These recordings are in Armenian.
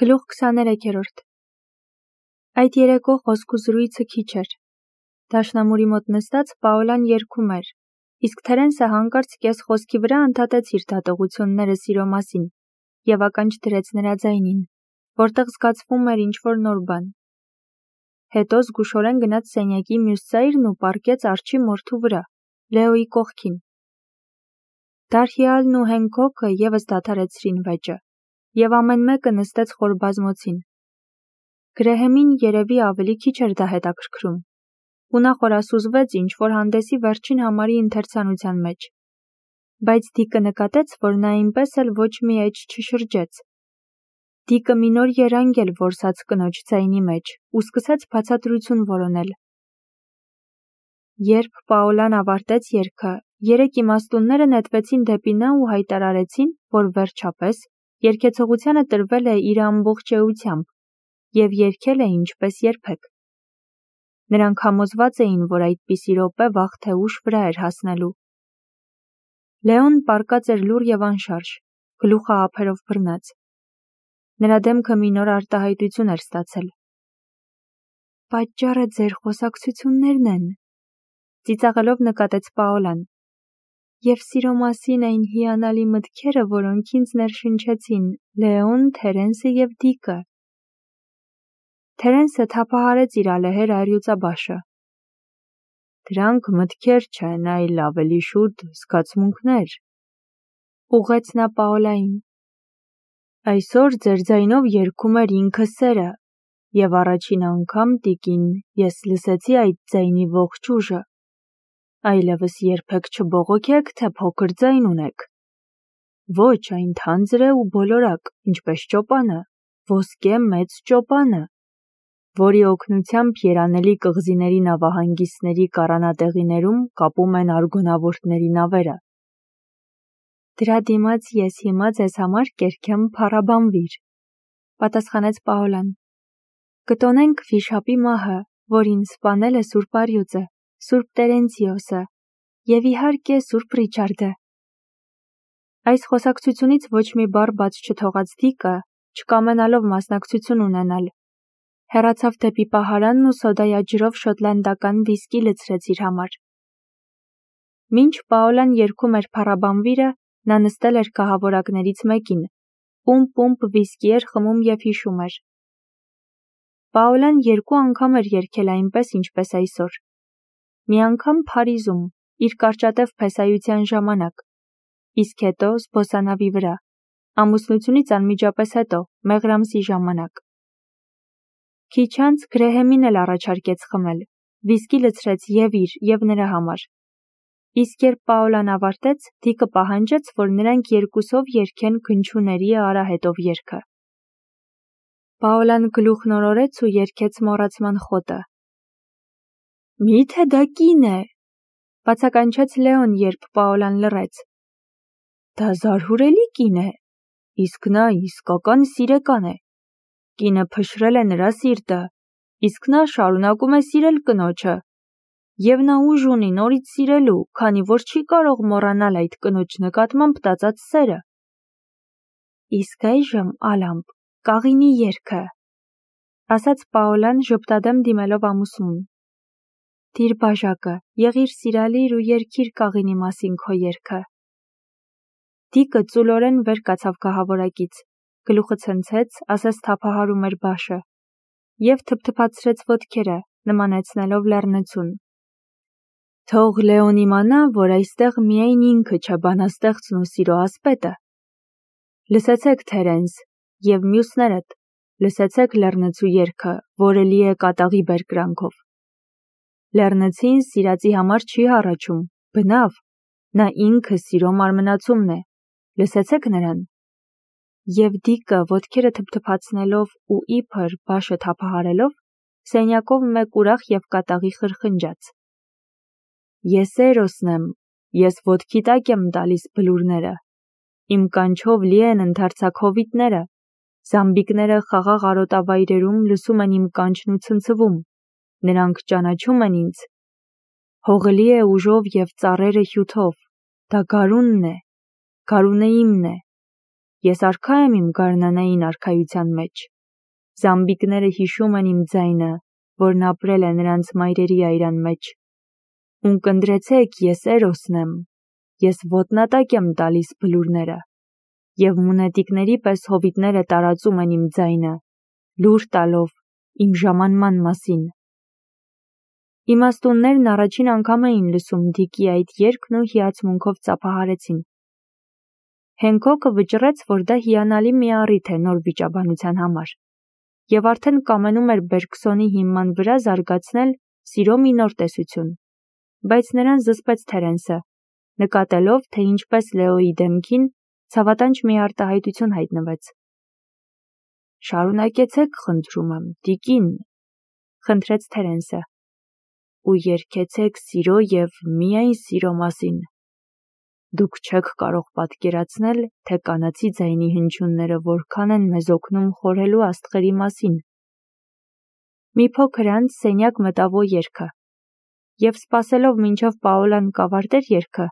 Գլուխ 23-րդ Այդ երեկո խոսք ու զրույցը քիչ էր։ Դաշնամուրի մոտ նստած Պաոլան երգում էր, իսկ Թերենսը հանկարծ կես խոսքի վրա ընդհատեց իր դատողությունները սիրո մասին և ականջ դրեց նրա ձայնին, որտեղ զգացվում էր ինչ-որ նոր բան։ Հետո զգուշորեն գնաց սենյակի մյուս ծայրն ու պառկեց արջի մորթու վրա, Լեոյի կողքին։ Դարհիալն ու Հենքոքը ևս դադարեցրին վեճը, և ամեն մեկը նստեց խոր բազմոցին։ Գրեհեմին երևի ավելի քիչ էր դա հետաքրքրում, ու նա խորասուզվեց ինչ-որ հանդեսի վերջին համարի ընթերցանության մեջ։ Բայց Դիկը նկատեց, որ նա այնպես էլ ոչ մի էջ չշրջեց։ Դիկը մի նոր երանգ էլ որսաց կնոջ ձայնի մեջ ու սկսեց բացատրություն որոնել։ Երբ Պաոլան ավարտեց երգը, երեք իմաստունները նետվեցին դեպի նա ու հայտարարեցին, որ վերջապես երգեցողությանը տրվել է իր ամբողջ էությամբ և երգել է ինչպես երբեք։ Նրանք համոզված էին, որ այդպիսի րոպե վաղ թե ուշ վրա էր հասնելու։ Լեոն պառկած էր լուռ և անշարժ, գլուխը ափերով բռնած։ Նրա դեմքը մի նոր արտահայտություն էր ստացել։ «Պատճառը ձեր խոսակցություններն են», ծիծաղելով նկատեց Պաոլան, «և սիրո մասին այն հիանալի մտքերը, որոնք ինձ ներշնչեցին Լեոն, Թերենսը և Դիկը»։ Թերենսը թափահարեց իր ալեհեր առյուծաբաշը։ «Դրանք մտքեր չեն, այլ ավելի շուտ զգացմունքներ», ուղղեց նա Պաոլային։ «Այսօր ձեր ձայնով երգում էր ինքը սերը, և առաջին անգամ, տիկին, ես լսեցի այդ ձայնի ողջ ուժը։ Այլևս երբեք չբողոքեք, թե փոքր ձայն ունեք։ Ոչ, այն թանձր է ու բոլորակ, ինչպես ճոպանը, ոսկե մեծ ճոպանը, որի օգնությամբ երանելի կղզիների նավահանգիստների կառանատեղիներում կապում են արգոնավորտների նավերը»։ «Դրա դիմաց ես հիմա ձեզ համար կերքեմ փառաբանվիր», պատասխանեց Պաոլան։ «Կտոնենք վիշապի մահը, որին սպանել է Սուրբ Առյուծը, Սուրբ Տերենցիոսը և իհարկե Սուրբ Ռիչարդը»։ Այս խոսակցությունից ոչ մի բառ բաց չթողած Դիկը, չկամենալով մասնակցություն ունենալ, հեռացավ դեպի պահարանն ու սոդայաջրով շոտլանդական վիսկի լցրեց իր համար։ Մինչ Պաոլան երգում էր փառաբանվիրը, նա նստել էր կահավորակներից մեկին, պումպ վիսկի էր խմում և հիշում էր։ Պաոլան 2 անգամ էր երգել այնպես, ինչպես այսօր։ Մի անգամ Փարիզում, իր կարճատև փեսայության ժամանակ, իսկ հետո զբոսանավի վրա, ամուսնությունից անմիջապես հետո, մեղրամսի ժամանակ։ Քիչ անց Գրեհեմին էլ առաջարկեց խմել, վիսկի լցրեց և իր, և նրա համար։ Իսկ երբ Պաոլան ավարտեց, Դիկը պահանջեց, որ նրանք երկուսով երգեն Քնչուների արահետով երգը։ Պաոլան գլուխ նորորեց ու երգեց մոռացման խոտը։ «Մի՞թե դա կին է», բացականչեց Լեոն, երբ Պաոլան լռեց։ «Դա զարհուրելի կին է, իսկ նա իսկական սիրեկան է։ Կինը փշրել է նրա սիրտը, իսկ նա շարունակում է սիրել կնոջը, և նա ուժ ունի նորից սիրելու, քանի որ չի կարող մոռանալ այդ կնոջ նկատմամբ տածած սերը։ Իսկ այժմ, Ալամպ, կաղինի երգը», ասաց Պաոլան ժպտադեմ դիմելով ամուսնուն։ «Դիր բաժակը, եղիր սիրալիր ու երգիր կաղինի մասին քո երգը»։ Դիկը ծուլորեն վեր կացավ կահավորակից, գլուխը ցնցեց, ասես թափահարում էր բաշը, և թփթփացրեց ոտքերը, նմանեցնելով լեռնցուն։ «Թող Լեոն իմանա, որ այստեղ միայն ինքը չէ բանաստեղծն ու սիրո ասպետը։ Լսեցեք, Թերենս, և մյուսներդ, լսեցեք լեռնցու երգը, որը լի է կատաղի բերկրանքով։ Լեռնցին սիրածի համար չի հառաչում, բնավ, նա ինքը սիրո մարմնացումն է, լսեցեք նրան»։ Եվ Դիկը ոտքերը թփթփացնելով ու իբր բաշը թափահարելով, սենյակով մեկ ուրախ և կատաղի խրխնջաց։ «Ես Էրոսն եմ, ես ոտքի տակ եմ տալիս բլուրները, իմ կանչով լի են ընդարձակ հովիտները, զամբիկները խաղաղ արոտավայրերում լսում են իմ կանչն ու ցնցվում, նրանք ճանաչում են ինձ։ Հողը լի է ուժով և ծառերը հյութով, դա գարունն է, գարունը իմն է, Ես արքա եմ իմ գարնանային արքայության մեջ։ Զամբիկները հիշում են իմ ձայնը, որն ապրել է նրանց մայրերի այրան մեջ։ Ունկնդրեցեք, ես Էրոսն եմ, ես ոտնատակ եմ տալիս բլուրները, և մունետիկների պես հովիտները տարածում են իմ ձայնը, լուր տալով իմ ժամանման մասին։ Իմաստուններն առաջին անգամ էին լսում Դիկի այդ երգն ու հիացմունքով ծափահարեցին։ Հենքոքը վճռեց, որ դա հիանալի մի առիթ է նոր վիճաբանության համար, և արդեն կամենում էր Բերգսոնի հիման վրա զարգացնել սիրո մի նոր տեսություն, բայց նրան զսպեց Թերենսը, նկատելով, թե ինչպես Լեոյի դեմքին ցավատանջ մի արտահայտություն հայտնվեց։ «Շարունակեցեք, խնդրում եմ, Դիկին», խնդրեց Թերենսը, «ու երգեցեք սիրո և միայն սիրո մասին։ Դուք չեք կարող պատկերացնել, թե կանացի ձայնի հնչյունները որքան են մեզ օգնում խորհելու աստղերի մասին»։ Մի փոքր անց սենյակ մտավ երգը, և սպասելով մինչև Պաոլան կավարտեր երգը,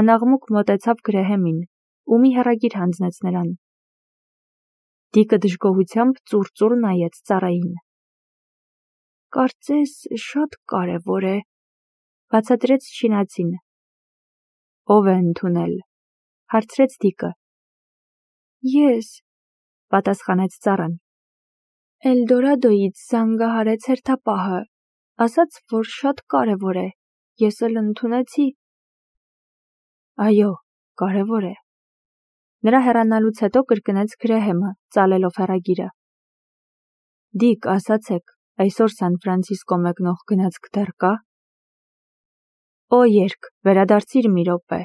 անաղմուկ մոտեցավ Գրեհեմին ու մի հեռագիր հանձնեց նրան։ Դիկը դժգոհությամբ ծուռ նայեց ծառային։ «Կարծես շատ կարևոր է», բացատրեց չինացին։ «Ո՞վ է ընդունել», հարցրեց Դիկը։ «Ես», պատասխանեց ծառան։ «Էլդորադոյից զանգահարեց հերթապահը, ասաց, որ շատ կարևոր է, ես էլ ընդունեցի»։ «Այո, կարևոր է», նրա հեռանալուց հետո կրկնեց Գրեհեմը, ծալելով հեռագիրը։ «Դիկ, ասացեք, այսօր Սան Ֆրանցիսկո մեկնող գնացք դեռ կա»։ «Օ երգ, վերադարձիր մի րոպե»,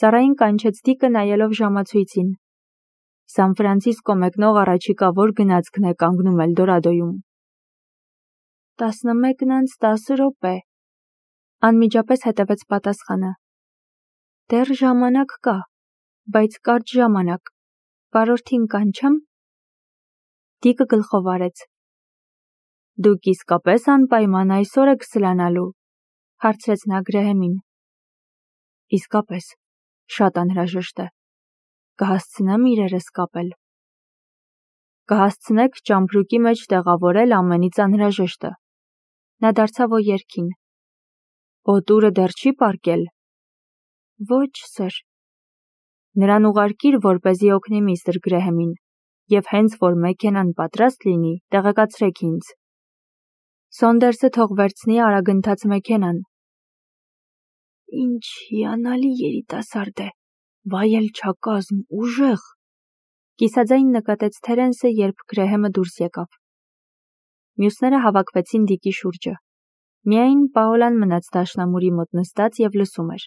ծառային կանչեց Դիկը նայելով ժամացույցին։ «Սան Ֆրանցիսկո մեկնող առաջիկա որ գնացքն է կանգնում Էլդորադոյում»։ 11:10, անմիջապես հետևեց պատասխանը։ Դեռ ժամանակ կա, բայց կարճ ժամանակ, վարորդին կանչեմ։ Դիկը գլխով արեց։ Դուք իսկապես անպայման այսօր եք սլանալու, հարցրեց նա Գրեհեմին։ Իսկապես, շատ անհրաժեշտ է։ Կհասցնեմ իրերս կապել։ Կհասցնեք ճամպրուկի մեջ տեղավորել ամենից անհրաժեշտը։ Նա դարձավ երգին։ Օտուրը դեռ չի պառկել։ Ոչ, սեր։ Նրան ուղարկիր, որպեսզի օգնի միստր Գրեհեմին, և հենց որ մեքենան պատրաստ լինի, տեղեկացրեք ինձ։ Սոնդերսը թող վերցնի արագընթաց մեքենան։ Ինչ հիանալի երիտասարդ է, վայելչակազմ, ուժեղ, կիսաձայն նկատեց Թերենսը, երբ Գրեհեմը դուրս եկավ։ Մյուսները հավաքվեցին Դիկի շուրջը։ Միայն Պաոլան մնաց դաշնամուրի մոտ նստած և լսում էր։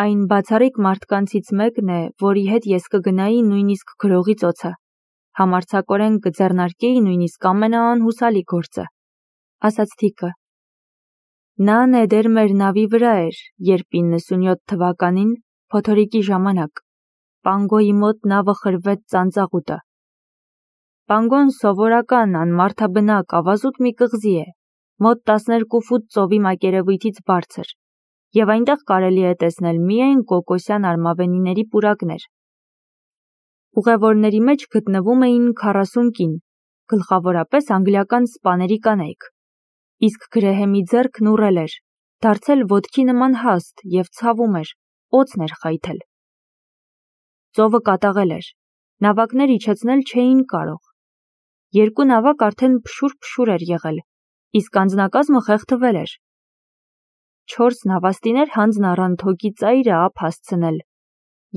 Այն բացառիկ մարդկանցից մեկն է, որի հետ ես կգնայի նույնիսկ գրողի ծոցը, համարձակորեն կձեռնարկեի նույնիսկ ամենաանհուսալի գործը, ասաց Դիկը։ Նա նեդեր մեր նավի վրա էր, երբ 97 թվականին, փոթորիկի ժամանակ, Պանգոյի մոտ նավը խրվեց ծանծաղուտը։ Պանգոն սովորական, անմարդաբնակ, ավազուտ մի կղզի է, մոտ 12 ֆուտ ծովի մակերևույթից բարձր, և այնտեղ կարելի է տեսնել միայն կոկոսյան արմավենիների պուրակներ։ Ուղևորների մեջ գտնվում էին 40 կին, գլխավորապես անգլիական սպաների կանայք, իսկ Գրեհեմի ձեռքն ուռել էր, դարձել ոտքի նման հաստ և ցավում էր, օձն էր խայթել։ Ծովը կատաղել էր, նավակներ իջեցնել չէին կարող։ Երկու նավակ արդեն փշուր էր եղել, իսկ անձնակազմը խեղդվել էր։ 4 նավաստիներ հանձն առան թոկի ծայրը ափ հասցնել,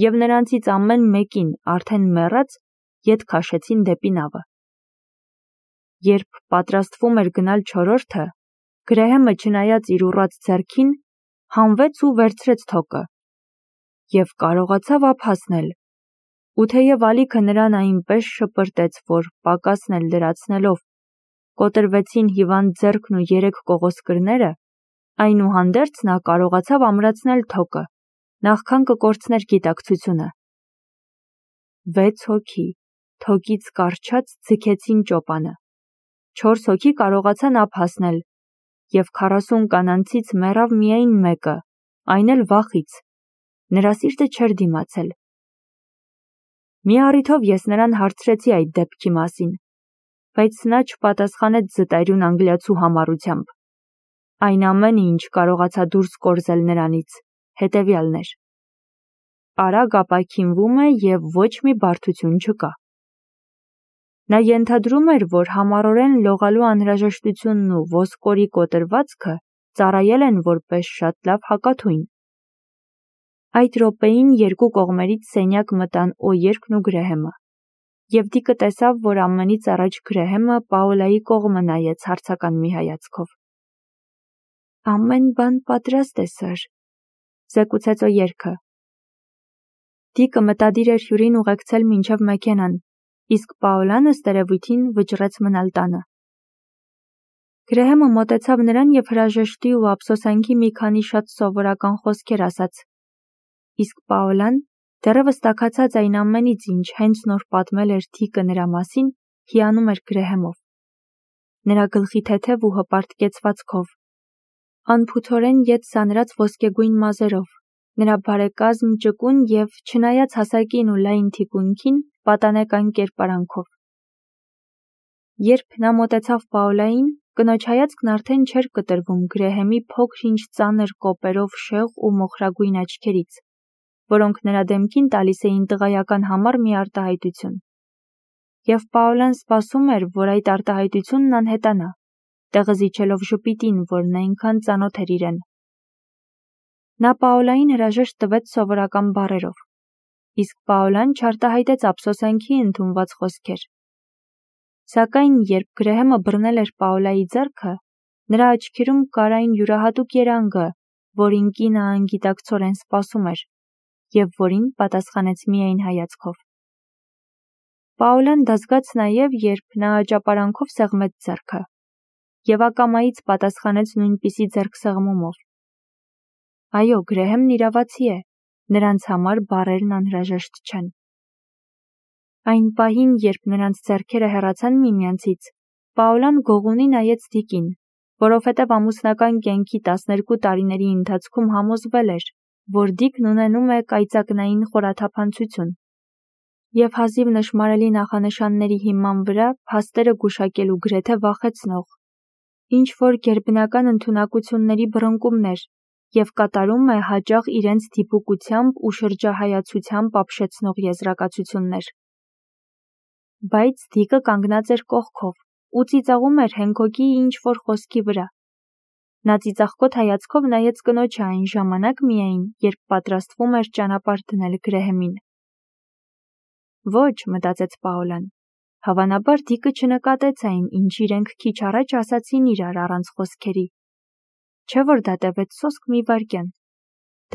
և նրանցից ամեն մեկին արդեն մեռած ետ քաշեցին դեպի նավը։ Երբ պատրաստվում էր գնալ չորրորդը, Գրեհեմը, չնայած իր ուռած ձեռքին, հանվեց ու վերցրեց թոկը և կարողացավ ափ հասնել, ու թեև ալիքը նրան այնպես շպրտեց, որ պակասն էլ լրացնելով կոտրվեցին հիվանդ ձեռքն ու 3 կողոսկրները, այնուհանդերձ նա կարողացավ ամրացնել թոկը, նախքան կկորցներ գիտակցությունը։ 6 հոգի, թոկից կառչած, ձգեցին ճոպանը, 4 հոգի կարողացան ափ հասնել, և 40 կանանցից մեռավ միայն մեկը, այն էլ վախից, նրա սիրտը չէր դիմացել։ Մի առիթով ես նրան հարցրեցի այդ դեպքի մասին, բայց նա չպատասխանեց զտայրուն անգլիացու համառությամբ։ Այն ամենը, ինչ կարողացա դուրս կորզել նրանից, հետևյալն էր. արագ ապաքինվում է և ոչ մի բարդություն չկա։ Նա ենթադրում էր, որ համառորեն լողալու անհրաժեշտությունն ու ոսկորի կոտրվածքը ծառայել են որպես շատ լավ հակաթույն։ Այդ րոպեին երկու կողմերից սենյակ մտան Օյերքն ու Գրեհեմը, և Դիկը տեսավ, որ ամենից առաջ Գրեհեմը Պաոլայի կողմը նայեց հարցական մի հայացքով։ Ամեն բան պատրաստ է, սըր, զեկուցեց Օյերքը։ Դիկը մտադիր էր հյուրին ուղեկցել մինչև մեքենան, իսկ Պաոլան ըստ երևույթին վճռեց մնալ տանը։ Գրեհեմը մոտեցավ նրան և հրաժեշտի ու ափսոսանքի մի քանի շատ սովորական խոսքեր ասաց, իսկ Պաոլան, դեռևս տաքացած այն ամենից, ինչ հենց նոր պատմել էր Դիկը նրա մասին, հիանում էր Գրեհեմով։ Նրա գլխի թեթև ու հպարտ կեցվածքով, անփութորեն ետ սանրած ոսկեգույն մազերով, նրա բարեկազմ ճկուն և, չնայած հասակին ու լայն թիկունքին, պատանեկան կերպարանքով։ Երբ նա մոտեցավ Պաոլային, կնոջ հայացքն արդեն չէր կտրվում Գրեհեմի փոքր-ինչ ծանր կոպերով շեղ ու մոխրագույն աչքերից, որոնք նրա դեմքին տալիս էին տղայական համառ մի արտահայտություն։ Եվ Պաոլան սպասում էր, որ այդ արտահայտությունն անհետանա, տեղը զիջելով ժպիտին, որն այնքան ծանոթ էր իրեն։ Նա Պաոլային հրաժեշտ տվեց սովորական բառերով, իսկ Պաոլան չարտահայտեց ափսոսանքի ընդունված խոսքեր։ Սակայն, երբ Գրեհեմը բռնել էր Պաոլայի ձեռքը, նրա աչքերում կար այն յուրահատուկ երանգը, որին կինը անգիտակցորեն սպասում էր, և որին պատասխանեց միայն հայացքով։ Պաոլան դա զգաց նաև, երբ նա աճապարանքով սեղմեց ձեռքը, և ակամայից պատասխանեց նույնպիսի ձեռքսեղմումով։ Այո, Գրեհեմն իրավացի է, նրանց համար բառերն անհրաժեշտ չեն։ Այն պահին, երբ նրանց ձեռքերը հեռացան միմյանցից, Պաոլան գողունի նայեց Դիկին, որովհետև ամուսնական կյանքի 12 տարիների ընթացքում համոզվել էր, որ Դիկն ունենում է կայծակնային խորաթափանցություն, և հազիվ նշմարելի նախանշանների հիման վրա փաստերը գուշակելու գրեթե վախեցնող, ինչ-որ գերբնական ընդունակությունների բռնկումներ և կատարում է հաճախ իրենց դիպուկությամբ ու շրջահայացությամբ ապշեցնող եզրակացություններ։ Բայց Դիկը կանգնած էր կողքով ու ծիծաղում էր Հենքոկի ինչ-որ խոսքի վրա։ Նա ծիծաղկոտ հայացքով նայեց կնոջը այն ժամանակ միայն, երբ պատրաստվում էր ճանապարհ դնել Գրեհեմին։ Ոչ, մտածեց Պաոլան, հավանաբար Դիկը չնկատեց այն, ինչ իրենք քիչ առաջ ասացին իրար առանց խոսքերի։ Չէ՞ որ դա տևեց սոսկ մի վայրկյան։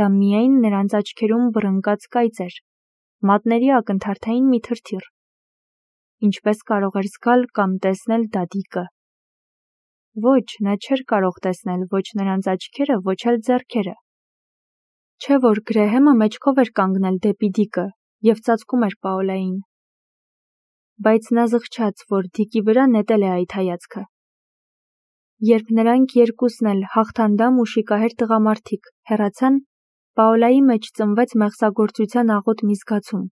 Դա միայն նրանց աչքերում բռնկած կայծ էր, մատների ակնթարթային մի թրթիռ։ Ինչպես կարող էր զգալ կամ տեսնել դա Դիկը։ Ոչ, նա չէր կարող տեսնել ոչ նրանց աչքերը, ոչ էլ ձեռքերը։ Չէ՞ որ Գրեհեմը մեջքով էր կանգնել դեպի Դիկը և ծածկում էր Պաոլային։ Բայց նա զղջաց, որ Դիկի վրա նետել է այդ հայացքը։ Երբ նրանք երկուսն էլ հաղթանդամ ու շիկահեր տղամարդիկ հեռացան, Պաոլայի մեջ ծնվեց մեղսագործության աղոտ մի զգացում։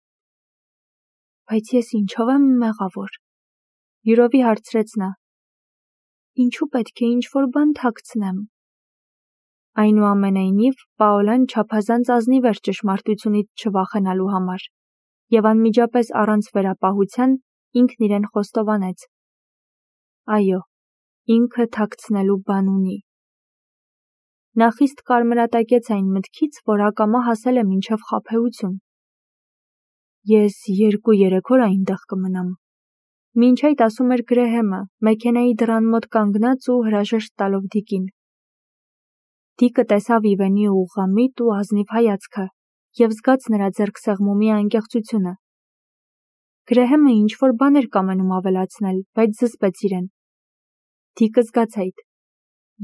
Բայց ես ինչով եմ մեղավոր, յուրովի հարցրեց նա։ Ինչու պետք է ինչ-որ բան թաքցնեմ։ Այնուամենայնիվ, Պաոլան չափազանց ազնիվ էր ճշմարտությունից չվախենալու համար, և անմիջապես առանց վերապահության ինքն իրեն խոստովանեց. Այո, ինքը թաքցնելու բան ունի։ Նա խիստ կարմրատակեց այն մտքից, որ ակամա հասել է մինչև խաբեություն։ Ես 2-3 օր այնտեղ կմնամ։ Մինչ այդ ասում էր Գրեհեմը, մեքենայի դռան մոտ կանգնած ու հրաժեշտ տալով Դիկին։ Դիկը տեսավ Իվենի ուղղամիտ ու ազնիվ հայացքը և զգաց նրա ձեռքսեղմումի անկեղծությունը։ Գրեհեմը ինչ-որ բան էր կամենում ավելացնել, բայց զսպեց իրեն։ Դիկը զգաց այդ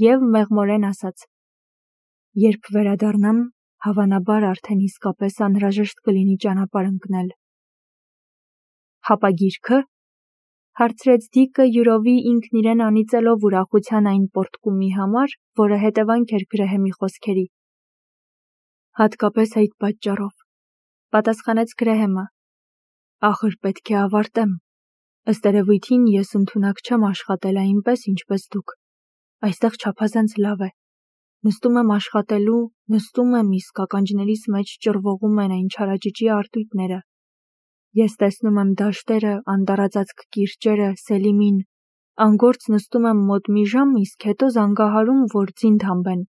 և մեղմորեն ասաց. Երբ վերադառնամ, հավանաբար արդեն իսկապես անհրաժեշտ կլինի ճանապարհ ընկնել։ Հապա գիրքը, հարցրեց Դիկը յուրովի ինքն իրեն անիծելով ուրախության այն պոռթկումի համար, որը հետևանք էր Գրեհեմի խոսքերի։ Հատկապես այդ պատճառով, պատասխանեց Գրեհեմը։ Ախր պետք է ավարտեմ։ Ըստ երևույթին ես ընդունակ չեմ աշխատել այնպես, ինչպես դուք։ Այստեղ չափազանց լավ է։ Նստում եմ աշխատելու, նստում եմ, իսկ ականջներիս մեջ ճռվողում են այն չարաճճի արտույտները։ Ես տեսնում եմ դաշտերը, անտառածածկ կիրճերը, Սելիմին, անգործ նստում եմ մոտ մի ժամ, իսկ հետո զանգահարում, որ ձինդ հանբեն։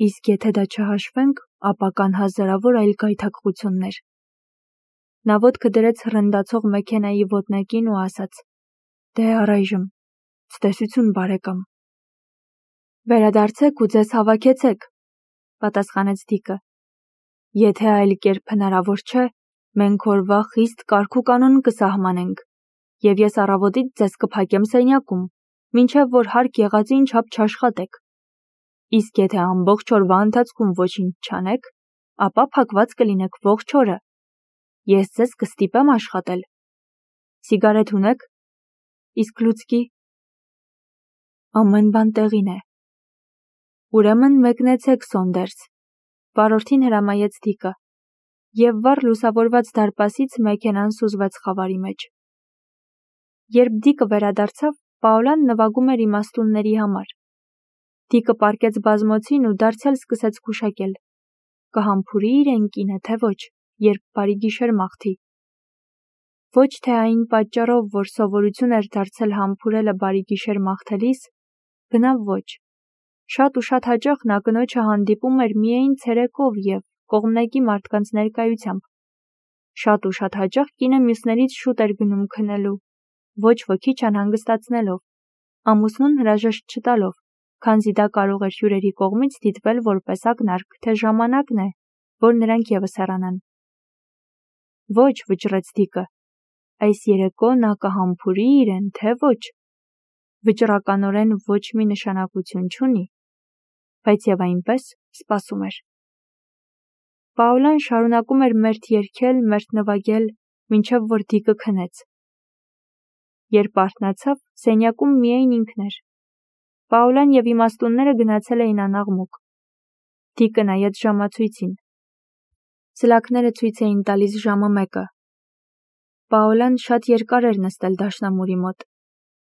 Իսկ եթե դա չհաշվենք, ապա կան հազարավոր այլ գայթակղություններ։ Նա ոտքը դրեց հռնդացող մեքենայի ոտնակին ու ասաց. «Դե առայժմ, ցտեսություն բարեկամ»։ «Վերադարձեք ու ձեզ հավաքեցեք», պատասխանեց Դիկը։ «Եթե այլ կերպ հնարավոր չէ, մենք օրվա խիստ կարգուկանոն կսահմանենք, և ես առավոտից ձեզ կփակեմ սենյակում, մինչև որ հարկ եղածին չափ չաշխատեք։ Իսկ եթե ամբողջ օրվա ընթացքում ոչինչ չանեք, ապա փակված կլինեք ողջ օրը։ Ես ձեզ կստիպեմ աշխատել։ Սիգարետ ունեք։ Իսկ լուցկի։ Ամեն բան տեղին է։ Ուրեմն մեկնեցեք, Սոնդերս, վարորդին հրամայեց Դիկը, և վառ լուսավորված դարպասից մեքենան սուզվեց խավարի մեջ։ Երբ Դիկը վերադարձավ, Պաոլան նվագում էր իմաստունների համար։ Դիկը պառկեց բազմոցին ու դարձյալ սկսեց գուշակել. կհամբուրի իրեն կինը, թե ոչ, երբ բարի գիշեր մաղթի։ Ոչ թե այն պատճառով, որ սովորություն էր դարձել համբուրելը բարի գիշեր մաղթելիս, բնավ ոչ։ Շատ ու շատ հաճախ նա կնոջը հանդիպում էր միայն ցերեկով և կողմնակի մարդկանց ներկայությամբ։ Շատ ու շատ հաճախ կինը մյուսներից շուտ էր գնում քնելու, ոչ ոքի չանհանգստացնելով, ամուսնուն հրաժեշտ չտալով, քանզի դա կարող էր հյուրերի կողմից դիտվել որպես ակնարկ, թե ժամանակն է, որ նրանք ևս հեռանան։ Ոչ, վճռեց Դիկը, այս երեկո նա կհամբուրի իրեն, թե ոչ։ Վճռականորեն ոչ մի նշանակություն չունի, բայց և այնպես սպասում էր։ Պաոլան շարունակում էր մերթ երգել, մերթ նվագել, մինչև որ Դիկը քնեց։ Երբ արթնացավ, սենյակում միայն ինքն էր։ Պաոլան և իմաստունները գնացել էին անաղմուկ։ Դիկը նայեց ժամացույցին։ Ծլակները ցույց էին տալիս ժամը 1-ը։ Պաոլան շատ երկար էր նստել դաշնամուրի մոտ։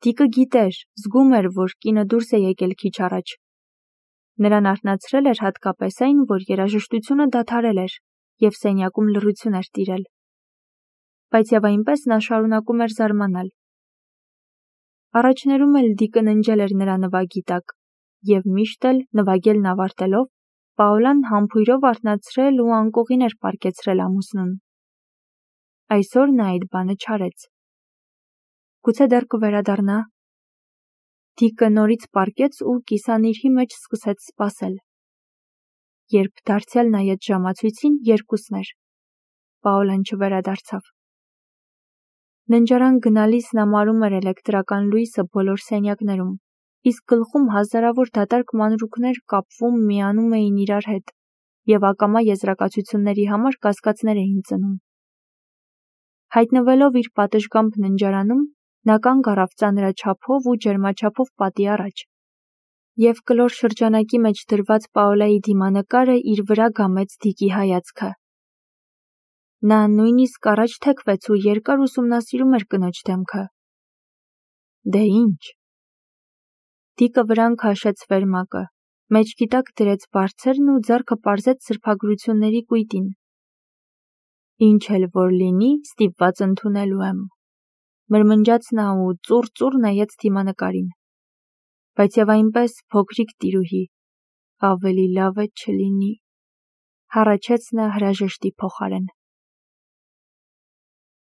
Դիկը գիտեր, զգում էր, որ կինը դուրս է եկել քիչ առաջ։ Նրան արթնացրել էր հատկապես այն, որ երաժշտությունը դադարել էր, և սենյակում լռություն էր տիրել։ Բայց և այնպես նա շարունակում էր զարմանալ։ Առաջներում էլ Դիկը ննջել էր նրա նվագի տակ, և միշտ էլ, նվագելն ավարտելով, Պաոլան համբույրով արթնացրել ու անկողին էր պառկեցրել ամուսնուն։ Այսօր նա այդ բանը չարեց։ Գուցե դեռ կվերադառնա։ Դիկը նորից պառկեց ու կիսանիրհի մեջ սկսեց սպասել։ Երբ դարձյալ նայեց ժամացույցին, 2-ն էր։ Պաոլան չվերադարձավ։ Ննջարան գնալիս նա մարում էր էլեկտրական լույսը բոլոր սենյակներում, իսկ գլխում հազարավոր դատարկ մանրուքներ կապվում միանում էին իրար հետ և ակամա եզրակացությունների համար կասկածներ էին ծնում։ Հայտնվելով իր պատշգամբ ննջարանում, նա կանգ առավ ծանրաչափով ու ջերմաչափով պատի առաջ, և կլոր շրջանակի մեջ դրված Պաոլայի դիմանկարը իր վրա գամեց Դիկի հայացքը։ Նա նույնիսկ առաջ թեքվեց ու երկար ուսումնասիրում էր կնոջ դեմքը։ Դե ինչ։ Դիկը վրան քաշեց վերմակը, մեջքի տակ դրեց բարձրն ու ձեռքը պարզեց սրբագրությունների կույտին։ Ինչ էլ որ լինի, ստիպված ընդունելու եմ, մրմնջաց նա ու ծուռ նայեց դիմանկարին։ Բայց և այնպես, փոքրիկ տիրուհի, ավելի լավ է չլինի, հառաչեց նա հրաժեշտի փոխարեն։